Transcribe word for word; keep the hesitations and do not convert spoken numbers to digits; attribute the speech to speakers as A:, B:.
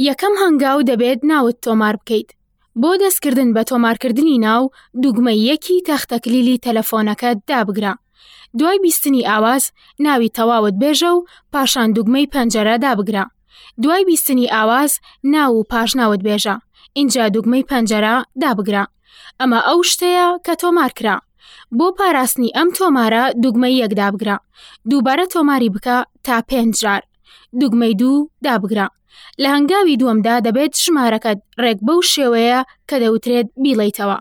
A: یەکەم هەنگاو دەبێت ناوت تۆمار بکەیت. بۆ دەستکردن بە تۆمارکردنی ناو، دوگمەی یەکی تەختەکلیلی تەلەفۆنەکەت دابگرە. دوای بیستنی ئاواز، ناوی تەواوت بێژە و پاشان دوگمەی پەنجەرە دابگرە. دوای بیستنی ئاواز، ناو و پاشناوت بێژە، ئینجا دوگمەی پەنجەرە دابگرە. ئەمە ئەو شتەیە کە تۆمار کرا. بۆ پاراستنی ئەم تۆمارە دوگمەی یەک دابگرە. دووبارە تۆماری بکە تا پێنج جار. دوگمەی دوو دابگرە. لە هەنگاوی دووەمدا دەبێت ژمارەکەت ڕێک بەو شێوەیە کە دەوترێت بیڵێیتەوە.